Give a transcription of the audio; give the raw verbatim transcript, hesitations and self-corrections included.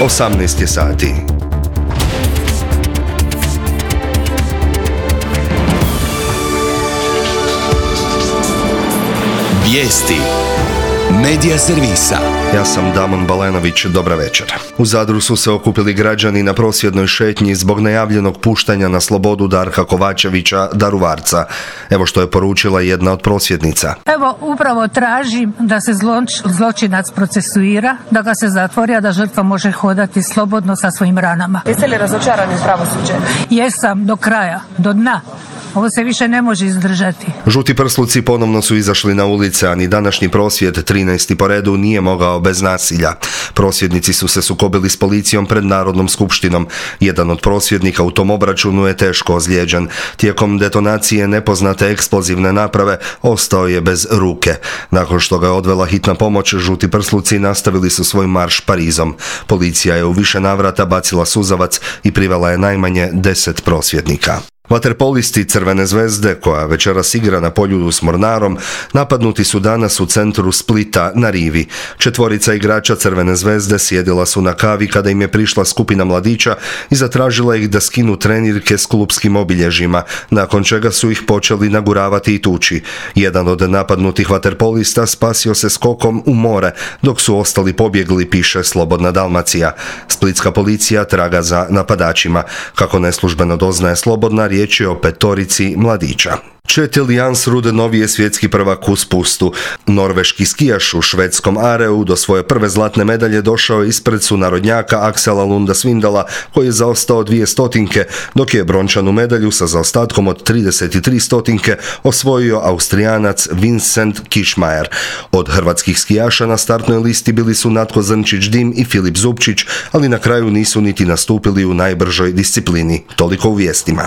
osamnaest je sati. Vijesti Medija servisa. Ja sam Damon Balenović, dobra večer. U Zadru su se okupili građani na prosvjednoj šetnji zbog najavljenog puštanja na slobodu Darka Kovačevića, Daruvarca. Evo što je poručila jedna od prosvjednica. Evo, upravo tražim da se zloč, zločinac procesuira, da ga se zatvori, a da žrtva može hodati slobodno sa svojim ranama. Jeste li razočarani u pravosuđe? Jesam, do kraja, do dna. Ovo se više ne može izdržati. Žuti prsluci ponovno su izašli na ulice, a ni današnji prosvjed, trinaesti po redu, nije mogao bez nasilja. Prosvjednici su se sukobili s policijom pred Narodnom skupštinom. Jedan od prosvjednika u tom obračunu je teško ozlijeđen. Tijekom detonacije nepoznate eksplozivne naprave ostao je bez ruke. Nakon što ga je odvela hitna pomoć, žuti prsluci nastavili su svoj marš Parizom. Policija je u više navrata bacila suzavac i privela je najmanje deset prosvjednika. Vaterpolisti Crvene zvezde, koja večeras igra na Poljudu s Mornarom, napadnuti su danas u centru Splita na rivi. Četvorica igrača Crvene zvezde sjedila su na kavi kada im je prišla skupina mladića i zatražila ih da skinu trenirke s klupskim obilježjima, nakon čega su ih počeli naguravati i tući. Jedan od napadnutih vaterpolista spasio se skokom u more, dok su ostali pobjegli, piše Slobodna Dalmacija. Splitska policija traga za napadačima. Kako neslužbeno doznaje Slobodna, riječ je o petorici mladića. Kjetil Jansrud novi je svjetski prvak u spustu. Norveški skijaš u švedskom Areu do svoje prve zlatne medalje došao je ispred sunarodnjaka Aksela Lunda Svindala, koji je zaostao dvije stotinke, dok je brončanu medalju sa zaostatkom od trideset tri stotinke osvojio Austrijanac Vincent Kišmajer. Od hrvatskih skijaša na startnoj listi bili su Natko Zrnčić-Dim i Filip Zupčić, ali na kraju nisu niti nastupili u najbržoj disciplini. Toliko u vijestima.